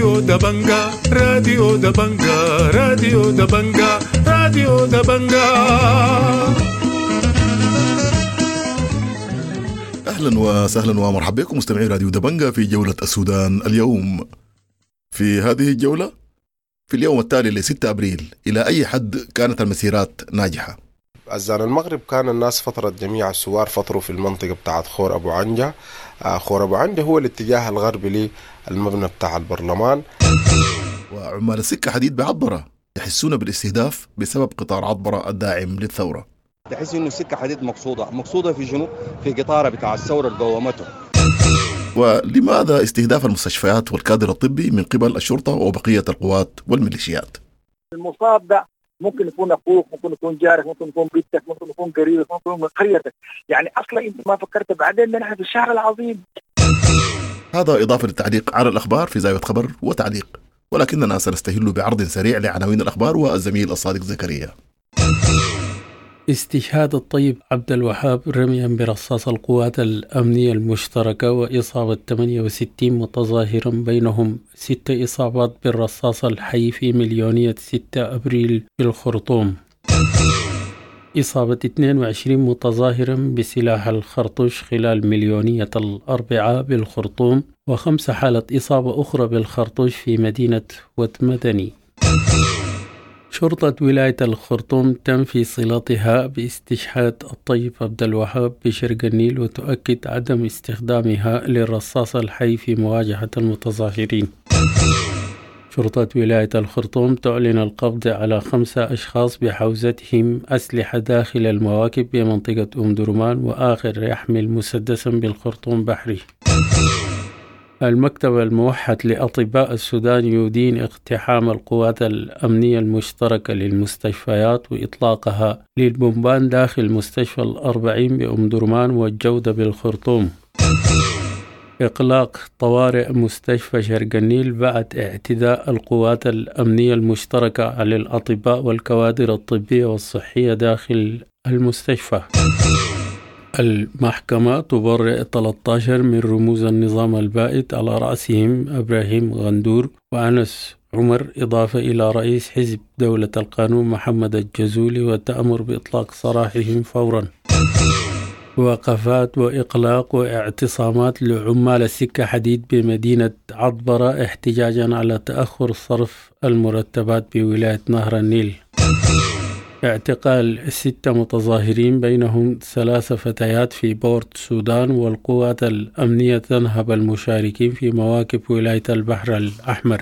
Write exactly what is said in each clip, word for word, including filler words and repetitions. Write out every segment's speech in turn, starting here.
راديو دبنجا، راديو دبنجا، راديو دبنجا، راديو دبنجا. اهلا وسهلا ومرحبا بكم مستمعي راديو دبنجا في جولة السودان اليوم. في هذه الجولة في اليوم التالي ل ستة ابريل، الى اي حد كانت المسيرات ناجحة؟ أذان المغرب كان الناس فطرت، جميع الثوار فطروا في المنطقة بتاعت خور أبو عنجة. خور أبو عنجة هو الاتجاه الغربي للمبنى بتاع البرلمان. وعمال السكة حديد بعطبرة يحسون بالاستهداف بسبب قطار عطبرة الداعم للثورة. تحس إنه السكة حديد مقصودة، مقصودة في شنو؟ في قطارة بتاع الثورة اللي قومته. ولماذا استهداف المستشفيات والكادر الطبي من قبل الشرطة وبقية القوات والميليشيات؟ المصاب ده ممكن يكون اخوك، ممكن يكون جارك، ممكن يكون بيتك، ممكن يكون قريبك، ممكن يكون من قريتك، يعني اصلا انت ما فكرت بعدين نحن في الشهر العظيم. هذا اضافه للتعليق على الاخبار في زاوية خبر وتعليق، ولكننا سنستهل بعرض سريع لعناوين الاخبار والزميل الصادق زكريا. استشهاد الطيب عبد الوهاب رميا برصاص القوات الأمنية المشتركة وإصابة ثمانية وستين متظاهرا بينهم ست إصابات بالرصاص الحي في مليونية ستة أبريل بالخرطوم. إصابة اثنين وعشرين متظاهرا بسلاح الخرطوش خلال مليونية الأربعاء بالخرطوم، وخمس حالة إصابة أخرى بالخرطوش في مدينة وتمدني. شرطة ولاية الخرطوم تنفي صلتها باستشهاد الطيب عبد الوهاب بشرق النيل وتؤكد عدم استخدامها للرصاص الحي في مواجهة المتظاهرين. شرطة ولاية الخرطوم تعلن القبض على خمسة أشخاص بحوزتهم أسلحة داخل المواكب بمنطقة أم درمان، وآخر يحمل مسدسا بالخرطوم بحري. المكتب الموحد لأطباء السودان يدين اقتحام القوات الأمنية المشتركة للمستشفيات وإطلاقها للبومبان داخل مستشفى الأربعين بأم درمان والجودة بالخرطوم. إغلاق طوارئ مستشفى شرق النيل بعد اعتداء القوات الأمنية المشتركة على الأطباء والكوادر الطبية والصحية داخل المستشفى. المحكمة تبرئ ثلاثة عشر من رموز النظام البائد على رأسهم إبراهيم غندور وأنس عمر، إضافة إلى رئيس حزب دولة القانون محمد الجزولي، وتأمر بإطلاق سراحهم فورا. وقفات وإقلاق واعتصامات لعمال السكة حديد بمدينة عطبرة احتجاجا على تأخر صرف المرتبات بولاية نهر النيل. اعتقال ستة متظاهرين بينهم ثلاث فتيات في بورت السودان، والقوات الأمنية تنهب المشاركين في مواكب ولاية البحر الأحمر.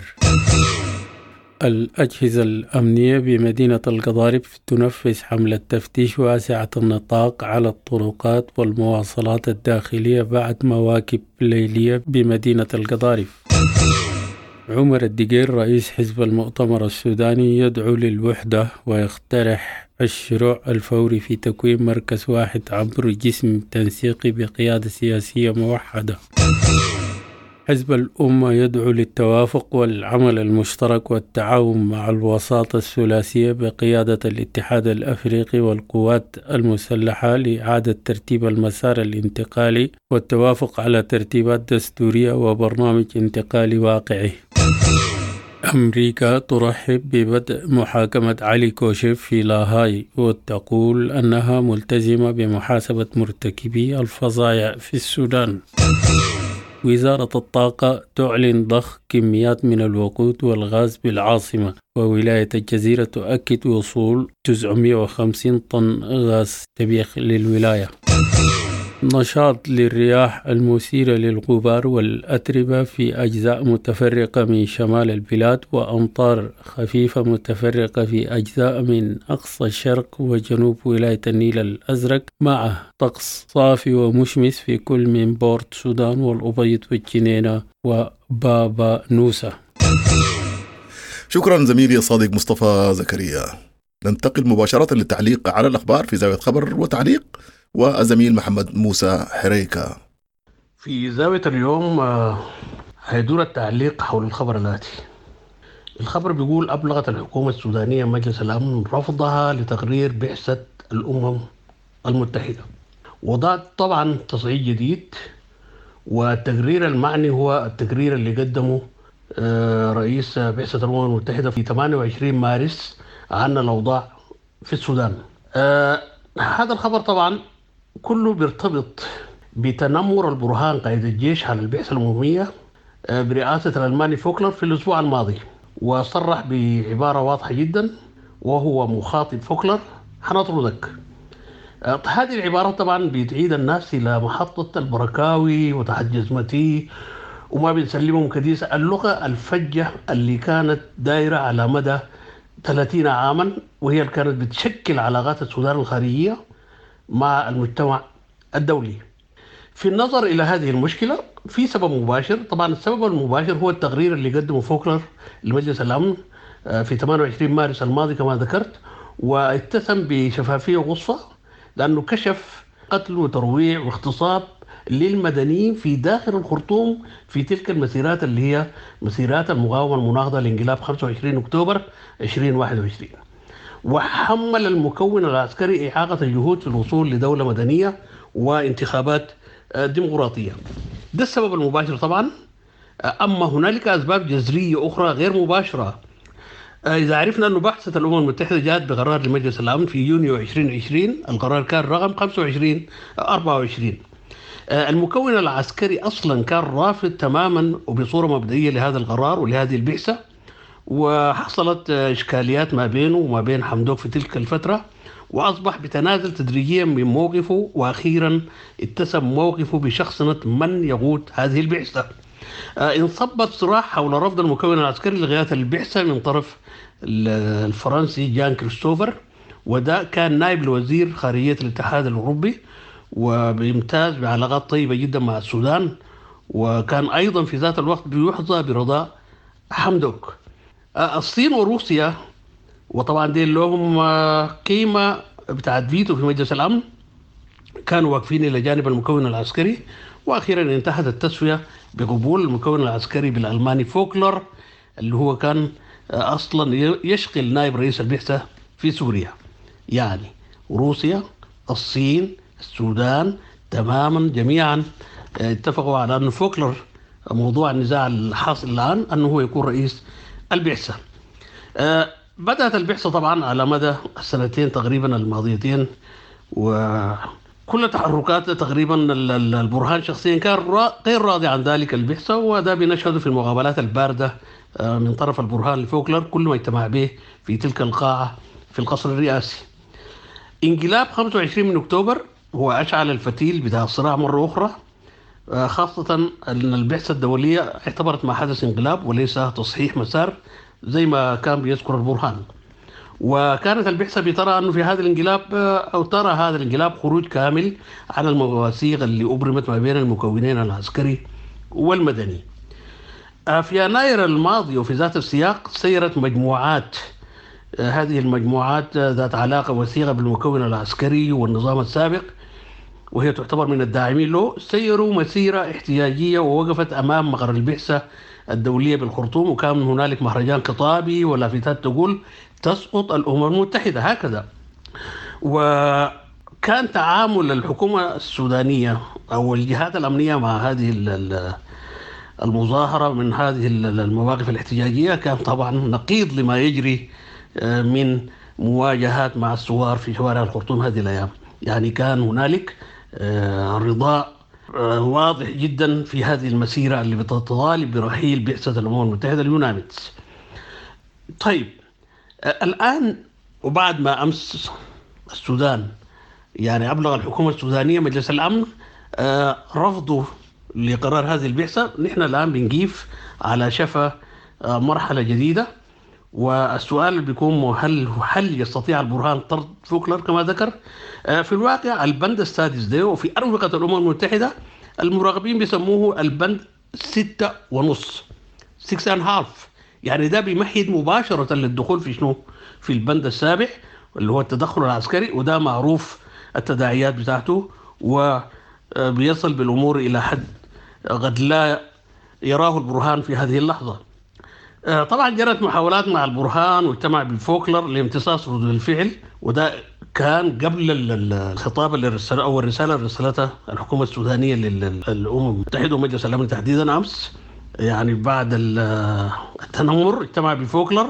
الأجهزة الأمنية بمدينة القضارف تنفذ حملة تفتيش واسعة النطاق على الطرقات والمواصلات الداخلية بعد مواكب ليلية بمدينة القضارف. عمر الدقير رئيس حزب المؤتمر السوداني يدعو للوحدة ويقترح الشروع الفوري في تكوين مركز واحد عبر جسم تنسيقي بقيادة سياسية موحدة. حزب الأمة يدعو للتوافق والعمل المشترك والتعاون مع الوساطة الثلاثية بقيادة الاتحاد الأفريقي والقوات المسلحة لإعادة ترتيب المسار الانتقالي والتوافق على ترتيبات دستورية وبرنامج انتقالي واقعي. أمريكا ترحب ببدء محاكمة علي كوشيف في لاهاي وتقول أنها ملتزمة بمحاسبة مرتكبي الفظائع في السودان. وزارة الطاقة تعلن ضخ كميات من الوقود والغاز بالعاصمة، وولاية الجزيرة تؤكد وصول تسعمائة وخمسين طن غاز طبيعي للولاية. نشاط للرياح المثيرة للغبار والأتربة في أجزاء متفرقة من شمال البلاد، وأمطار خفيفة متفرقة في أجزاء من أقصى الشرق وجنوب ولاية النيل الأزرق، مع طقس صافي ومشمس في كل من بورت سودان والأبيض والجنينة وبابا نوسة. شكرا زميلي الصادق مصطفى زكريا. ننتقل مباشرة للتعليق على الأخبار في زاوية خبر وتعليق والزميل محمد موسى حريكة. في زاوية اليوم هيدور التعليق حول الخبر الآتي. الخبر بيقول أبلغت الحكومة السودانية مجلس الأمن رفضها لتقرير بعثة الأمم المتحدة، وده طبعا تصعيد جديد، والتقرير المعني هو التقرير اللي قدمه رئيس بعثة الأمم المتحدة في ثمانية وعشرين مارس عن الأوضاع في السودان. هذا الخبر طبعا كله بيرتبط بتنمر البرهان قائد الجيش على البعثة الأممية برئاسة الألماني فوكلر في الأسبوع الماضي، وصرح بعبارة واضحة جدا وهو مخاطب فوكلر: حنطردك. هذه العبارة طبعا بتعيد الناس إلى محطة البركاوي وتحت جزمتي وما بنسلمهم كديسة، اللغة الفجة اللي كانت دايرة على مدى ثلاثين عاما، وهي اللي كانت بتشكل علاقات السودان الخارجية مع المجتمع الدولي. في النظر إلى هذه المشكلة في سبب مباشر، طبعا السبب المباشر هو التقرير اللي قدمه فوكلر لمجلس الأمن في ثمانية وعشرين مارس الماضي كما ذكرت، واتسم بشفافية وغصة لأنه كشف قتل وترويع واغتصاب للمدنيين في داخل الخرطوم في تلك المسيرات اللي هي مسيرات المقاومة المناهضة لانقلاب خمسة وعشرين أكتوبر ألفين وواحد وعشرين، وحمل المكون العسكري إعاقة الجهود في الوصول لدولة مدنية وانتخابات ديمقراطية. ده السبب المباشر طبعا. أما هنالك أسباب جذرية أخرى غير مباشرة. إذا عرفنا أن بعثة الأمم المتحدة جاءت بقرار لمجلس الأمن في يونيو ألفين وعشرين، القرار كان رقم خمسة وعشرين أربعة وعشرين. المكون العسكري أصلا كان رافض تماما وبصورة مبدئية لهذا القرار ولهذه البعثة، وحصلت إشكاليات ما بينه وما بين حمدوك في تلك الفترة، وأصبح بتنازل تدريجيا من موقفه، وأخيرا اتسم موقفه بشخصنة من يقود هذه البعثة. انصبت صراع حول رفض المكون العسكري لغاية البعثة من طرف الفرنسي جان كريستوفر، وده كان نائب لوزير خارجية الاتحاد الأوروبي وبيمتاز بعلاقات طيبة جدا مع السودان، وكان أيضا في ذات الوقت بيحظى برضا حمدوك. الصين وروسيا، وطبعا دي لهم قيمة بتاعت فيتو في مجلس الأمن، كانوا واقفين إلى جانب المكون العسكري، وأخيرا انتهت التسوية بقبول المكون العسكري بالألماني فوكلر اللي هو كان أصلا يشغل نائب رئيس البعثة في سوريا. يعني روسيا، الصين، السودان تماما جميعا اتفقوا على أن فوكلر موضوع النزاع الحاصل الآن أنه هو يكون رئيس البعثة. بدأت البعثة طبعا على مدى السنتين تقريبا الماضيتين، وكل تحركات تقريبا البرهان شخصيا كان غير راضي عن ذلك البعثة، وده بنشهده في المقابلات الباردة من طرف البرهان لفوكلر كل ما اجتمع به في تلك القاعة في القصر الرئاسي. انقلاب خمسة وعشرين من أكتوبر هو أشعل الفتيل بتاع الصراع مرة أخرى، خاصة أن البعثة الدولية اعتبرت ما حدث انقلاب وليس تصحيح مسار زي ما كان بيذكر البرهان. وكانت البعثة بترى أنه في هذا الانقلاب أو ترى هذا الانقلاب خروج كامل على المواثيق اللي أبرمت ما بين المكونين العسكري والمدني. في يناير الماضي وفي ذات السياق سيرت مجموعات، هذه المجموعات ذات علاقة وثيقة بالمكون العسكري والنظام السابق وهي تعتبر من الداعمين له، سيروا مسيرة احتجاجية ووقفت أمام مقر البعثة الدولية بالخرطوم، وكان هنالك مهرجان خطابي ولافتات تقول تسقط الأمم المتحدة هكذا. وكان تعامل الحكومة السودانية أو الجهات الأمنية مع هذه المظاهرة من هذه المواقف الاحتجاجية كان طبعا نقيض لما يجري من مواجهات مع الثوار في شوارع الخرطوم هذه الأيام. يعني كان هنالك رضاء واضح جدا في هذه المسيرة اللي بتطالب برحيل بعثة الأمم المتحدة اليوناميدز. طيب الآن وبعد ما أمس السودان يعني أبلغ الحكومة السودانية مجلس الأمن رفضه لقرار هذه البعثة، نحن الآن بنقيف على شفا مرحلة جديدة، والسؤال اللي بيكون هل هل يستطيع البرهان طرد فوكلر كما ذكر؟ في الواقع البند السادس ده وفي أروقة الأمم المتحدة المراقبين بيسموه البند ستة ونص، six and half، يعني ده بيمهد مباشرة للدخول في شنو؟ في البند السابع اللي هو التدخل العسكري، وده معروف التداعيات بتاعته وبيصل بالأمور إلى حد قد لا يراه البرهان في هذه اللحظة. طبعا جرت محاولات مع البرهان واجتمع بالفوكلر لامتصاص ردود الفعل، وده كان قبل الخطاب اللي رسل او الرساله اللي رسلتها الحكومه السودانيه للامم المتحده ومجلس الامن تحديدا امس. يعني بعد التنمر اجتمع بفوكلر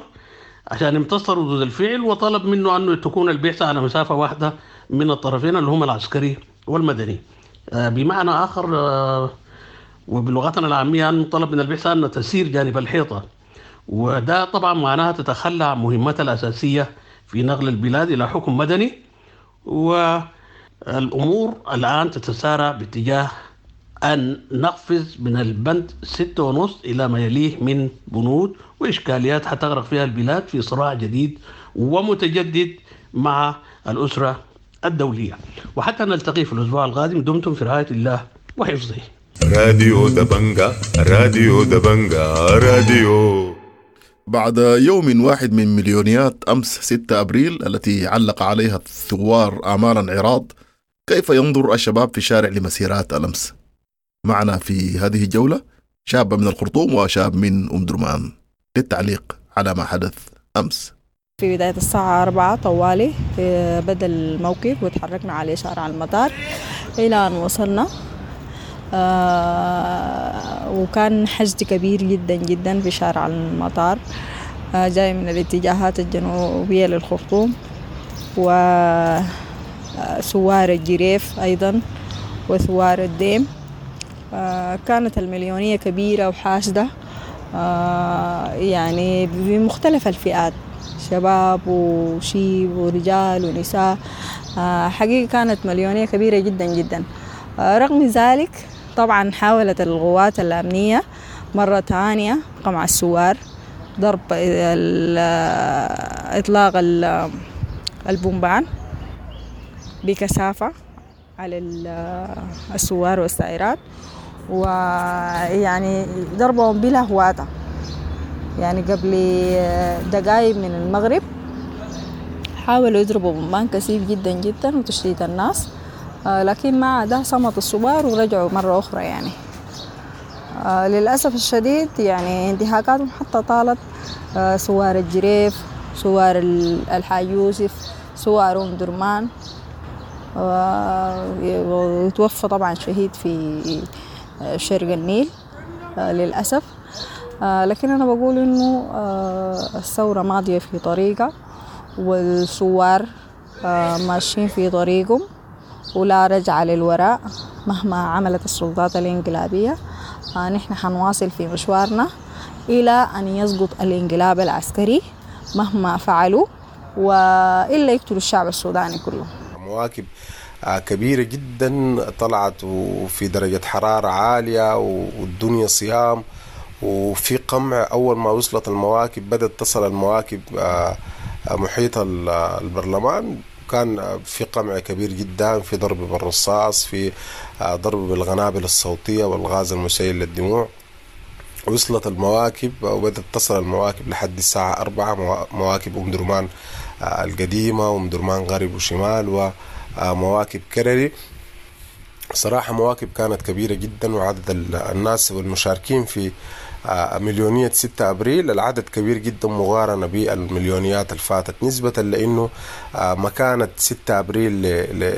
عشان يمتص ردود الفعل، وطلب منه أنه تكون البعثة على مسافة واحدة من الطرفين اللي هم العسكري والمدني. بمعنى آخر وبلغتنا العامية أنه طلب من البعثة أن تسير جانب الحيطة، وده طبعا معناها تتخلى عن مهمتها الأساسية في نقل البلاد إلى حكم مدني. والأمور الآن تتسارع باتجاه أن نقفز من البند ستة ونص إلى ما يليه من بنود وإشكاليات حتغرق فيها البلاد في صراع جديد ومتجدد مع الأسرة الدولية. وحتى نلتقي في الأسبوع القادم، دمتم في رعاية الله وحفظه. راديو دبنجا، راديو دبنجا، راديو. بعد يوم واحد من مليونيات أمس ستة أبريل التي علق عليها الثوار آمالا عراض، كيف ينظر الشباب في الشارع لمسيرات الأمس؟ معنا في هذه الجولة شاب من الخرطوم وشاب من أم درمان للتعليق على ما حدث أمس. في بداية الساعة أربعة طوالي بدأ الموقف وتحركنا على شارع المطار إلى أن وصلنا، آه وكان حشد كبير جدا جدا في شارع المطار، آه جاي من الاتجاهات الجنوبية للخرطوم وثوار الجريف أيضا وثوار الديم. آه كانت المليونية كبيرة وحاشدة، آه يعني بمختلف الفئات، شباب وشيب ورجال ونساء. آه حقيقة كانت مليونية كبيرة جدا جدا. آه رغم ذلك طبعا حاولت القوات الأمنية مرة ثانية قمع الثوار، ضرب إطلاق البومبان بكثافة على الثوار والسائرات، ويعني ضربهم بلا هواتة. يعني قبل دقائق من المغرب حاولوا يضربوا بومبان كثيف جدا جدا وتشتيت الناس، لكن مع ده صمت الثوار ورجعوا مرة أخرى. يعني للأسف الشديد يعني انتهاكاتهم حتى طالت ثوار الجريف، ثوار الحاج يوسف، ثوار أم درمان، وتوفى طبعا شهيد في شرق النيل للأسف. لكن أنا بقول إنه الثورة ماضية في طريقة، والثوار ماشيين في طريقهم ولا رجعة للوراء مهما عملت السلطات الانقلابية. نحن حنواصل في مشوارنا إلى أن يسقط الانقلاب العسكري مهما فعلوا، وإلا يقتلوا الشعب السوداني كله. مواكب كبيرة جدا طلعت وفي درجة حرارة عالية والدنيا صيام وفي قمع. أول ما وصلت المواكب بدأت تصل المواكب محيط البرلمان، كان في قمع كبير جدا، في ضرب بالرصاص، في ضرب بالقنابل الصوتية والغاز المسيل للدموع. وصلت المواكب وبدأت تصل المواكب لحد الساعة أربعة، مواكب أم درمان القديمة وأم درمان غرب وشمال ومواكب كرري. صراحة مواكب كانت كبيرة جدا، وعدد الناس والمشاركين في مليونية ستة أبريل العدد كبير جدا مقارنة بالمليونيات الفاتت، نسبة لأنه مكانة ستة أبريل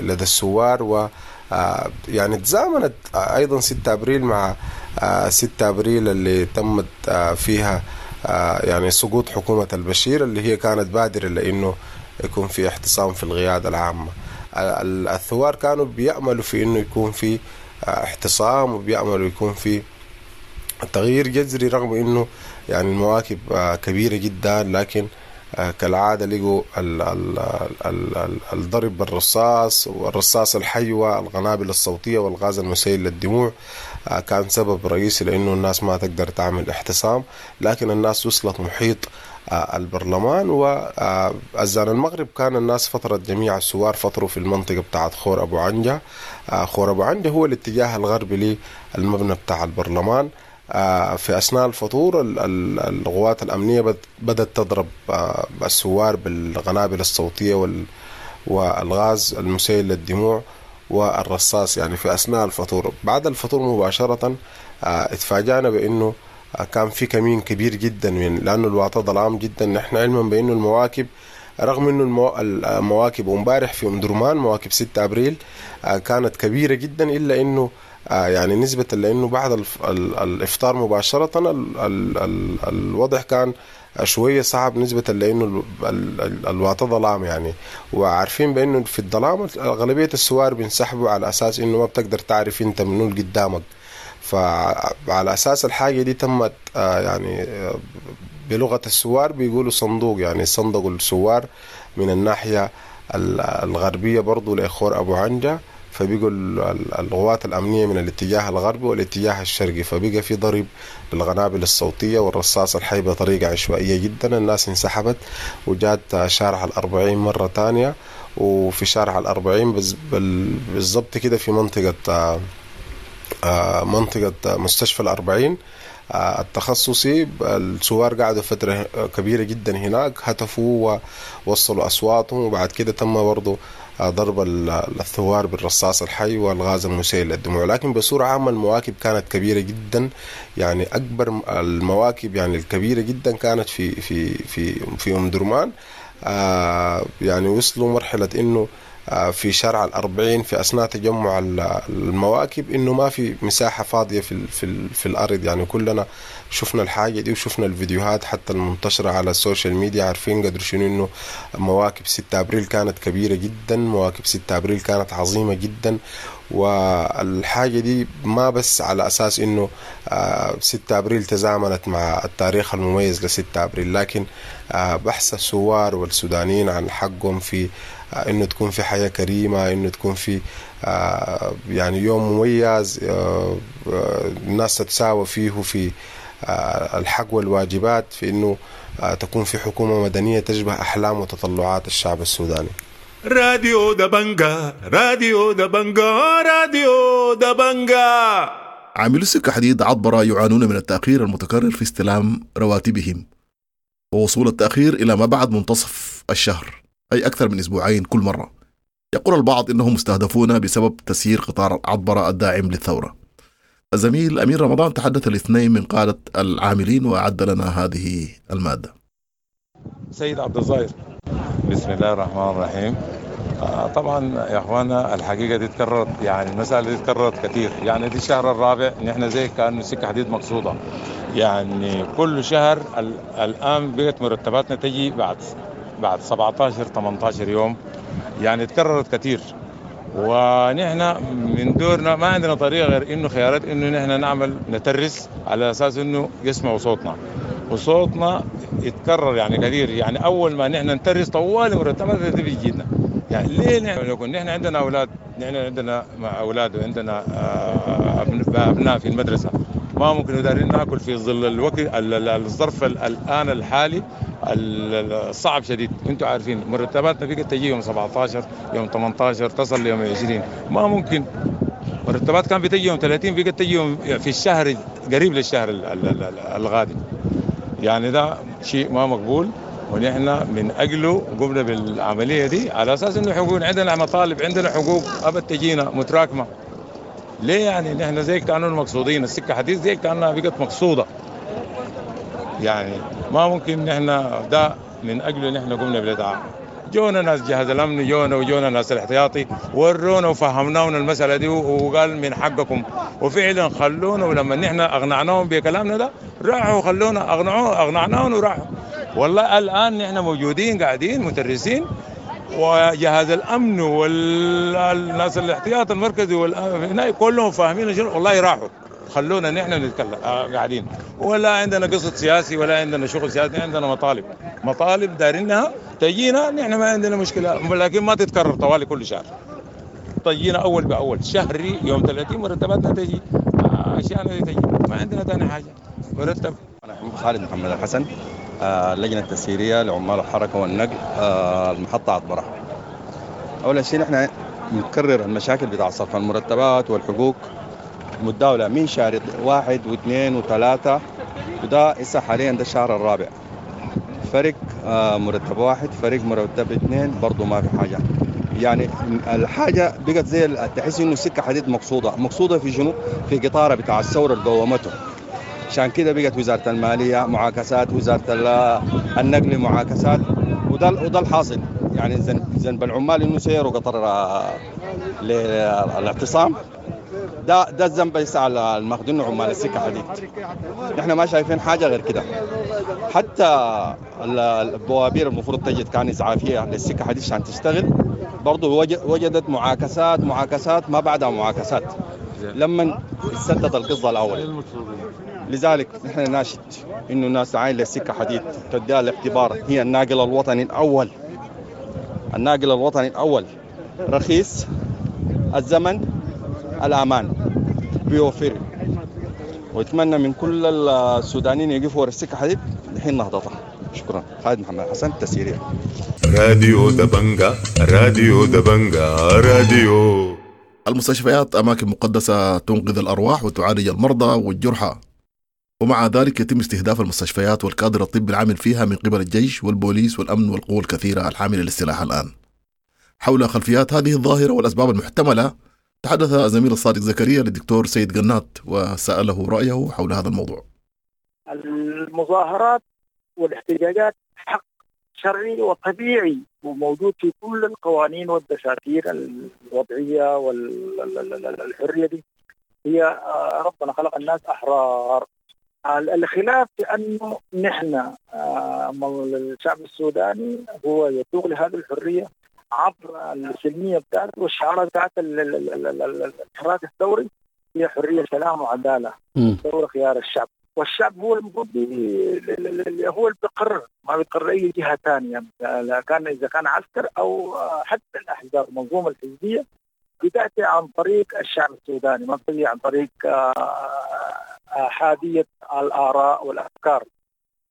لدى الثوار، و يعني تزامنت أيضا ستة أبريل مع ستة أبريل اللي تمت فيها يعني سقوط حكومة البشير، اللي هي كانت بادرة لأنه يكون في احتصام في القيادة العامة. الثوار كانوا بيأملوا في إنه يكون في احتصام، وبيأملوا يكون في تغيير جذري، رغم إنه يعني المواكب كبيرة جدا، لكن كالعادة لقوا الضرب بالرصاص والرصاص الحي والقنابل الصوتية والغاز المسيل للدموع كان سبب رئيسي لأنه الناس ما تقدر تعمل احتصام. لكن الناس وصلت محيط البرلمان، وأذان المغرب كان الناس فترة جميع الثوار فطروا في المنطقة بتاعت خور أبو عنجة. خور أبو عنجة هو الاتجاه الغربي للمبنى بتاع البرلمان. في أثناء الفطور القوات الأمنية بدأت تضرب الثوار بالقنابل الصوتية والغاز المسيل للدموع والرصاص، يعني في أثناء الفطور. بعد الفطور مباشرة اتفاجأنا بأنه كان في كمين كبير جدا، من لأنه الوطا ظلام جدا. نحن علما بأنه المواكب، رغم أنه المواكب امبارح في أم درمان مواكب ستة أبريل كانت كبيرة جدا، إلا أنه يعني نسبة لأنه بعد الإفطار مباشرة الوضع كان شوية صعب نسبة لأنه الواطة ظلام يعني، وعارفين بأنه في الظلام غالبية الثوار بينسحبوا على أساس إنه ما بتقدر تعرف أنت منو اللي قدامك. فعلى أساس الحاجة دي تمت يعني بلغة الثوار بيقولوا صندوق، يعني صندوق الثوار من الناحية الغربية برضو لإخور أبو عنجة، فبيقوا القوات الأمنية من الاتجاه الغربي والاتجاه الشرقي، فبقى في ضرب بالقنابل الصوتية والرصاص الحي بطريقة عشوائية جدا. الناس انسحبت وجات شارع الأربعين مرة تانية، وفي شارع الأربعين بالضبط كده في منطقة منطقة مستشفى الأربعين التخصصي، الثوار قعدوا فترة كبيرة جدا هناك، هتفوا ووصلوا أصواتهم، وبعد كده تم برضو ضرب الثوار بالرصاص الحي والغاز المسيل للدموع. لكن بصورة عامة المواكب كانت كبيرة جدا، يعني أكبر المواكب يعني الكبيرة جدا كانت في في في في أم درمان. يعني وصلوا مرحلة إنه في شارع الأربعين في أثناء تجمع المواكب إنه ما في مساحة فاضية في في في الأرض، يعني كلنا شفنا الحاجة دي وشفنا الفيديوهات حتى المنتشرة على ال social media، عارفين قدر شنو إنه مواكب ستة أبريل كانت كبيرة جدا، مواكب ستة أبريل كانت عظيمة جدا. والحاجة دي ما بس على أساس إنه ستة أبريل تزامنت مع التاريخ المميز لستة أبريل، لكن بحث الثوار والسودانيين عن حقهم في إنه تكون في حياة كريمة، إنه تكون في يعني يوم مميز الناس تتساوى فيه في الحق والواجبات، في إنه تكون في حكومة مدنية تشبه أحلام وتطلعات الشعب السوداني. راديو دبنجا، راديو دبنجا، راديو دبنجا. عاملو السكة حديد عطبرة يعانون من التأخير المتكرر في استلام رواتبهم، ووصول التأخير إلى ما بعد منتصف الشهر، أي أكثر من أسبوعين كل مرة. يقول البعض إنهم مستهدفون بسبب تسيير قطار عطبرة الداعم للثورة. الزميل أمين رمضان تحدث الاثنين من قادة العاملين وأعد لنا هذه المادة. سيد عبد الظاهر، بسم الله الرحمن الرحيم. آه طبعا يا اخوانا الحقيقة دي تكررت، يعني المسالة دي تكررت كثير، يعني دي الشهر الرابع نحن زي كانه سكة حديد مقصوده، يعني كل شهر الان بقت مرتباتنا تجي بعد بعد سبعة عشر ثمانية عشر يوم، يعني تكررت كثير. ونحن من دورنا ما عندنا طريقه غير انه خيارات انه نحن نعمل نترس على اساس انه يسمعوا صوتنا، وصوتنا يتكرر يعني كثير. يعني اول ما نحن نترس طوال مرتباتنا بتجينا. يعني ليه نحن نكون نحن عندنا اولاد، نحن عندنا اولاد وعندنا ابناء في المدرسة، ما ممكن دارين ناكل في ظل الوقت الظرف الان الحالي الصعب شديد. انتم عارفين مرتباتنا بقت تجي يوم سبعة عشر يوم ثمانية عشر تصل ليوم عشرين، ما ممكن. مرتبات كان بتجي يوم ثلاثين بقت تجي يوم في الشهر قريب للشهر الغادم. يعني ده شيء ما مقبول، ونحن من اجله قمنا بالعملية دي على اساس انه حقوق، عندنا مطالب، عندنا حقوق ابد تجينا متراكمه. ليه يعني نحن زي كانوا المقصودين، السكة حديث زي كانها بقت مقصوده، يعني ما ممكن نحن ده من اجله نحن قمنا بالادعاء. جونا ناس جهاز الامن، جونا وجونا ناس الاحتياطي، ورونا وفهمناهم المسالة دي وقال من حقكم، وفعلا خلونا. ولما نحن اقنعناهم بكلامنا ده راحوا خلونا، اقنعوه اقنعناهم وراحوا. والله الان نحن موجودين قاعدين مترسين، وجهاز الامن والناس الاحتياط المركزي والهنا كلهم فاهمين شنو، والله راحوا خلونا نحن نتكلم قاعدين. ولا عندنا قصد سياسي ولا عندنا شغل سياسي، عندنا مطالب، مطالب دارينها تجينا، نحن ما عندنا مشكلة، لكن ما تتكرر طوالي كل شهر. تجينا اول باول شهري يوم ثلاثين مرتباتنا تجي، اشياء تجي، ما عندنا ثاني حاجة مرتب. انا خالد محمد الحسن، اللجنة التسييريه لعمال الحركة والنقل، المحطة عطبره. اول شيء نحن نكرر المشاكل بتاع صرف المرتبات والحقوق متداولة من شهر واحد واثنين وثلاثة، وده هسه حاليا ده الشهر الرابع. فرق مرتب واحد، فرق مرتب اثنين، برضه ما في حاجة. يعني الحاجة بقت زي تحس انه السكة حديد مقصودة، مقصودة في شنو؟ في قطارة بتاع الثورة اللي قومته. عشان كده بقت وزارة المالية معاكسات، وزارة النقل معاكسات، وده وده الحاصل. يعني ذنب العمال انه سيروا قطر للاعتصام، ده ده الذنب ليس على المخدون عمال السكة حديد. نحن ما شايفين حاجة غير كده. حتى البوابير المفروض تجد كان اسعافيه للسكه حديد عشان تشتغل، برضه وجدت معاكسات معاكسات ما بعدها معاكسات لما سدت القصة الاول. لذلك نحن ناشد انه الناس تعاين للسكه حديد، تديها الاعتبار هي الناقل الوطني الاول. الناقل الوطني الاول رخيص الزمن الامان بيوفر، واتمنى من كل السودانيين يقفوا ورا السكة حديد لحين نهضتها. شكرا. خالد محمد حسن، تسيرية. راديو دبنجا، راديو دبنجا، راديو. المستشفيات أماكن مقدسة تنقذ الأرواح وتعالج المرضى والجرحى، ومع ذلك يتم استهداف المستشفيات والكادر الطبي العامل فيها من قبل الجيش والبوليس والأمن والقوى الكثيرة الحاملة للسلاح الآن. حول خلفيات هذه الظاهرة والأسباب المحتملة تحدث الزميل الصادق زكريا للدكتور سيد قنات وسأله رأيه حول هذا الموضوع. المظاهرات والاحتجاجات حق شرعي وطبيعي وموجود في كل القوانين والدساتير الوضعية والحرية دي، هي ربنا خلق الناس أحرار. الخلاف في أنه نحن الشعب السوداني هو يتوق لهذه الحرية عبر السلمية بتاعته والشعارات بتاعت الحراك الثوري هي حرية سلام وعدالة، ثورة خيار الشعب، والشعب هو المفروض هو اللي بيقرر، ما بيقرر أي جهة ثانية، كان إذا كان عسكر أو حتى الأحزاب المنظومة الحزبية بتأتي عن طريق الشعب السوداني، ما بتجي عن طريق أحادية الآراء والأفكار.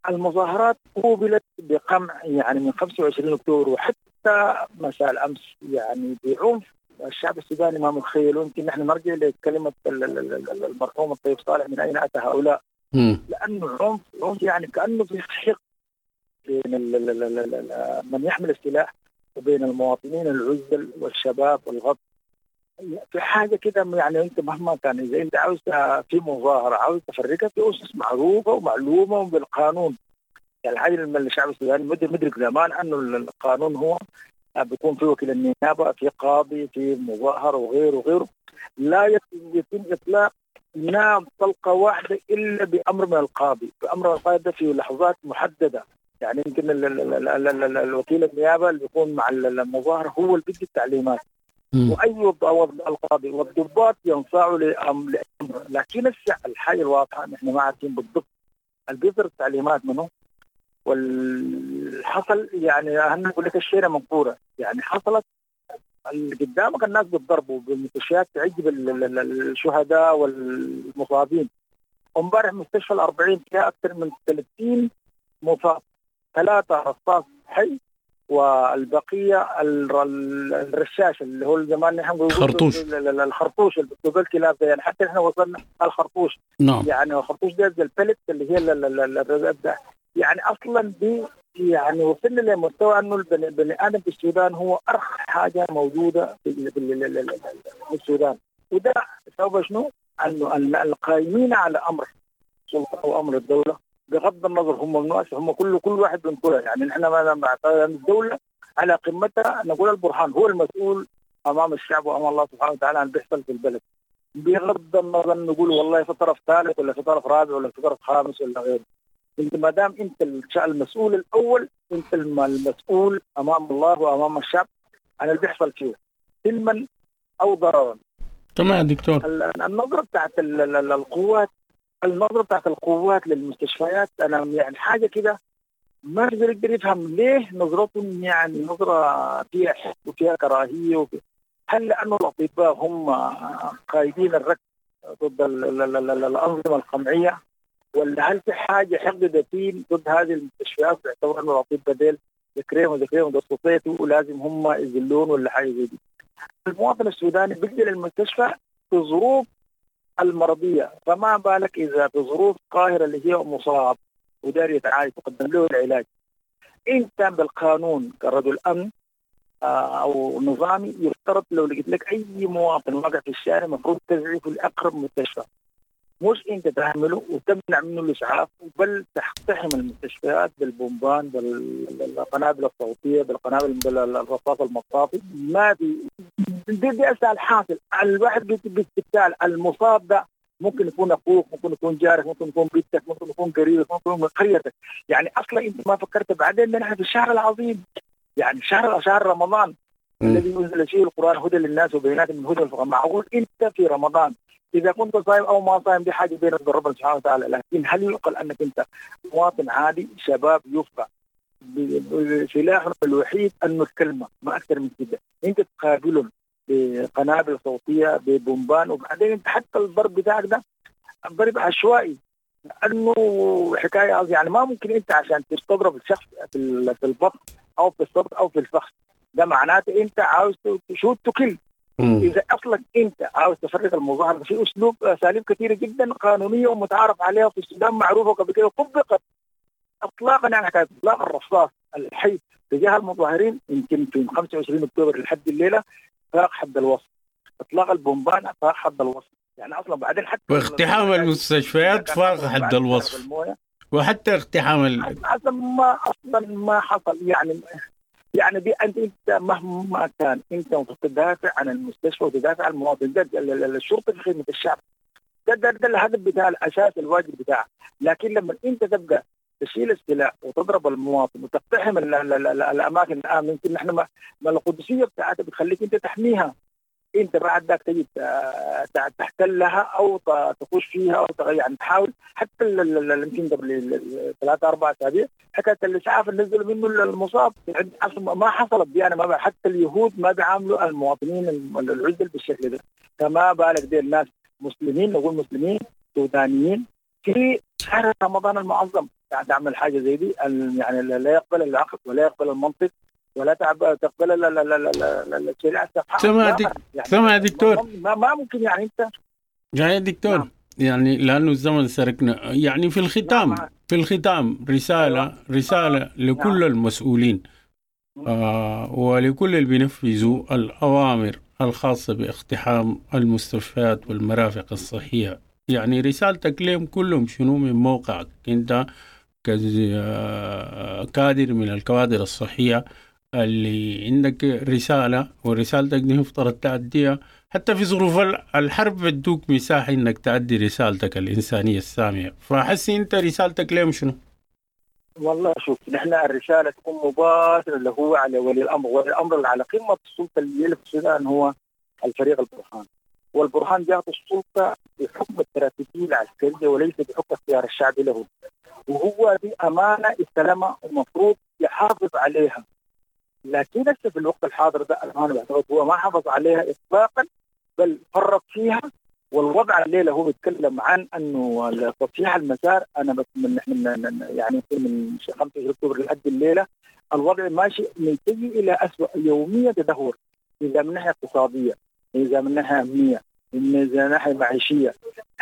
المظاهرات قوبلت بقمع يعني من خمسة وعشرين أكتوبر وحتى مساء الأمس يعني بعنف الشعب السوداني ما متخيل. يمكن نحن نرجع لكلمة المرحوم الطيب صالح، من أين أتى هؤلاء؟ لأنه عنف عنف يعني كأنه في حقد بين من يحمل السلاح وبين المواطنين العزل والشباب والغض. في حاجة كده يعني أنت مهما كان إذا أنت عاوز في مظاهرة عاوز تفرقها في أسس معروفة ومعلومة وبالقانون. يعني الحاجة اللي الشعب السوداني مدرك زمان أنه القانون هو بيكون في وكيل النيابة، في قاضي، في مظاهرة وغيره وغيره. لا يتم إطلاق نار طلقة واحدة إلا بأمر من القاضي، بأمر القاضي ده في لحظات محددة. يعني يمكن الوكيل النيابة اللي بيكون مع المظاهرة هو اللي بيدي التعليمات، وأي القاضي والضباط ينصاعوا لأمر. لكن الحاجة الواضحة نحن ما عارفين بالضبط اللي بيصدر التعليمات منه والحصل. يعني أنا أقول لك الشيء منقورة، يعني حصلت اللي قدامك الناس بتضربوا بالمستشفيات تعجب الشهداء والمصابين. امبارح مستشفى الأربعين فيها أكثر من ثلاثين مصاب، ثلاثة رصاص حي والبقية الرشاش اللي هو زمان نحن نقول خرطوش، الخرطوش اللي بتقول كلاب، يعني حتى احنا وصلنا الخرطوش. نعم. يعني الخرطوش ده زي البلت اللي هي الرزق، يعني اصلا دي يعني وصلنا لمستوى انه البني ادم في السودان هو ارخص حاجة موجودة في, في السودان. وده سبب شنو؟ انه القائمين على امر السلطة وامر الدولة بغض النظر هم من هم كل كل واحد بنقولها، يعني نحن ما الدولة على قمتها نقول البرهان هو المسؤول امام الشعب وامام الله سبحانه وتعالى عن بيحصل في البلد، بغض النظر نقول والله في طرف ثالث ولا في طرف رابع ولا في طرف خامس ولا غيره. انت ما دام انت المسؤول الاول، انت المسؤول امام الله وامام الشعب عن اللي بيحصل فيه سلما او ضررا. تمام دكتور. النظرة بتاعت القوات، النظرة بتاعت القوات للمستشفيات، انا يعني حاجة كده ما بقدر يفهم ليه نظرتهم، يعني نظره فيها حقد وفيها كراهية وفيها. هل لانه الاطباء هم قايدين الركب ضد الانظمة القمعيه، ولا هل في حاجة حقد دفين ضد هذه المستشفيات باعتبار انه الاطباء ديل ذكريهم ذكريهم ده ولازم هم يذلون ولا حاجة زي دي؟ المواطن السوداني بيجي للمستشفى في ظروف المرضية، فما بالك اذا في ظروف قاهرة اللي هي مصاب وداري يتعالج تقدم له العلاج. انت بالقانون كرجل امن او نظامي يفترض لو لقيت لك اي مواطن واقع في الشارع المفروض تزعفه لاقرب مستشفى. مش انت تهمله وتمنع منه الاسعاف، بل تقتحم المستشفيات بالبومبان، بالقنابل الصوتية، بالقنابل بالرصاص المطاطي. ما في دي, دي اسهل حاصل. الواحد بالتالي المصاب ده ممكن يكون اخوك، ممكن يكون جارك، ممكن يكون بيتك، ممكن يكون قريبك، ممكن يكون من قريتك. يعني اصلا انت ما فكرت بعدين نحن في الشهر العظيم، يعني شهر شهر رمضان الذي انزل فيه القران هدى للناس وبينات من هدى الفقراء. معقول انت في رمضان اذا كنت صايم او ما صايم دي حاجة بينك وبين ربنا سبحانه وتعالى، لكن هل يعقل انك انت مواطن عادي شباب يفقع سلاحهم الوحيد انه الكلمة، ما اكثر من كده، انت تقابلهم بقنابل صوتية ببومبان، وبعدين انت حتى الضرب بتاعك ده ضرب عشوائي، لانه حكاية يعني ما ممكن انت عشان تضرب الشخص في البطن او في الصدر او في الفخذ، ده معناته انت عاوز تشوت تكل. اذا اصلا انت عاوز تفرق المظاهرة في اسلوب اساليب كثيرة جدا قانونية ومتعارف عليها في السودان، معروفة قبل كده طبقت اطلاقا، يعني حكاية اطلاق الرصاص الحي تجاه المظاهرين يمكن في خمسة وعشرين اكتوبر لحد الليلة فاق حد الوصف، اطلاق البومبان فاق حد الوصف، يعني اصلا بعدين حتى واقتحام المستشفيات فاق حد الوصف، وحتى اقتحام ال... اصلا ما اصلا ما حصل. يعني يعني دي انت انت مهما كان انت تدافع عن المستشفى وتدافع عن المواطن، ده الشرطة في خدمة الشعب، ده ده, ده الهدف بتاع الاساس الواجب بتاعه. لكن لما انت تبقى تشيل السلاح وتضرب المواطن وتقتحم ال ال ال الاماكن الامنة، يمكن نحن ما, ما القدسية بتاعتها بتخليك انت تحميها، انت بعد ذاك تجي تحتلها او تخش فيها او تغير، يعني تحاول حتى يمكن قبل ثلاثة أربع اسابيع حكاية الاسعاف اللي نزلوا منه المصاب ما حصلت دي. انا ما حتى اليهود ما بيعاملوا المواطنين العزل بالشكل ده، فما بالك دي الناس مسلمين، نقول مسلمين سودانيين في شهر رمضان المعظم تعمل حاجة زي دي، يعني لا يقبل العقل ولا يقبل المنطق ولا تقبل الشريعة السمحاء. سمع دك... سمع دكتور، ما, ما ممكن يعني انت يا دكتور. نعم. يعني لانه الزمن سرقنا، يعني في الختام. نعم. في الختام رسالة رسالة لكل. نعم. المسؤولين آه ولكل اللي بينفذوا الاوامر الخاصة باقتحام المستشفيات والمرافق الصحية، يعني رسالتك لهم كلهم شنو من موقعك انت كادر من الكوادر الصحية اللي عندك رسالة، ورسالتك دي مفترض تأديها حتى في ظروف الحرب، بدوك مساحة انك تأدي رسالتك الإنسانية السامية، فحسي انت رسالتك لهم شنو؟ والله شوف، نحن الرسالة تكون مباشرة اللي هو على ولي الأمر، ولي الأمر اللي على قمة السلطة اللي في السودان هو الفريق البرهان، والبرهان جاءت السلطة بحكم التراتبية العسكرية وليس بحكم اختيار الشعب له، وهو دي أمانة استلمها ومفروض يحافظ عليها. لكن لسه في الوقت الحاضر ده الأمانة بعتقد هو ما حافظ عليها إطلاقا، بل فرط فيها. والوضع الليلة هو بيتكلم عن أنه تصحيح المسار، أنا بس من نحن يعني من خمسة وعشرين أكتوبر لحد الليلة الوضع ماشي من سيء إلى أسوأ، يوميا تدهور، إذا من ناحية اقتصادية، إذا من ناحية أمنية، من ناحية معيشية،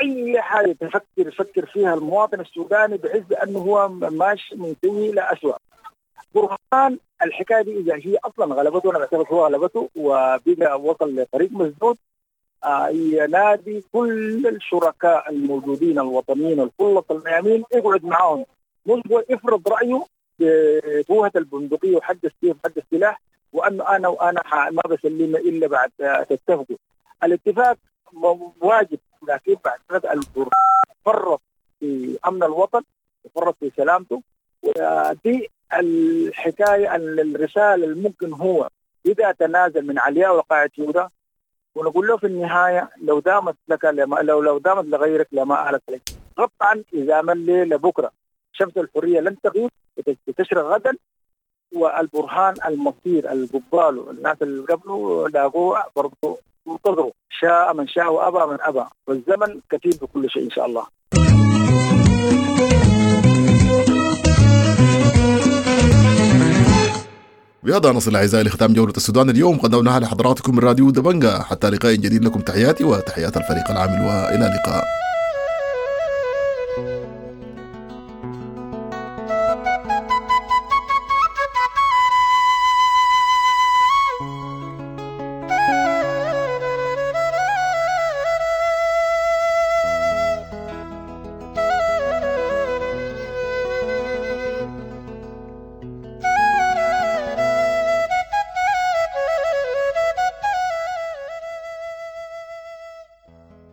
أي حاجة تفكر يفكر فيها المواطن السوداني بحيث بأنه هو ماشي من سيء إلى أسوأ. برهان الحكاية دي إذا هي أصلا غلبته، أنا بعتقد هو غلبته وبقى وصل لطريق مسدود، آه ينادي كل الشركاء الموجودين الوطنيين الكل الميامين يقعد معاهم، مش هو يفرض رأيه بفوهة البندقية وحد السيف وحد السلاح، وأنه أنا وأنا ما بسلم إلا بعد تتفقوا. الاتفاق واجب، لكن بعد البرهان فرط في أمن الوطن وفرط في سلامته. ودي الحكاية، الرسالة الممكن هو إذا تنازل من علياء وقاعد يهودا، ونقول له في النهاية لو دامت لك لما لو لو دامت لغيرك لما آلت لك. قطعا إذا من ليلة بكرة شمس الحرية لن تغيب، تشرق غدا، والبرهان المصير القبال الناس اللي قبله لاقوه برضه انتظروا، شاء من شاء وأبى من أبى، والزمن كثير بكل شيء إن شاء الله. بهذا نصل أعزائي لختام جولة السودان اليوم، قدمناها لحضراتكم من راديو دبنجا. حتى لقاء جديد، لكم تحياتي وتحيات الفريق العامل، وإلى اللقاء.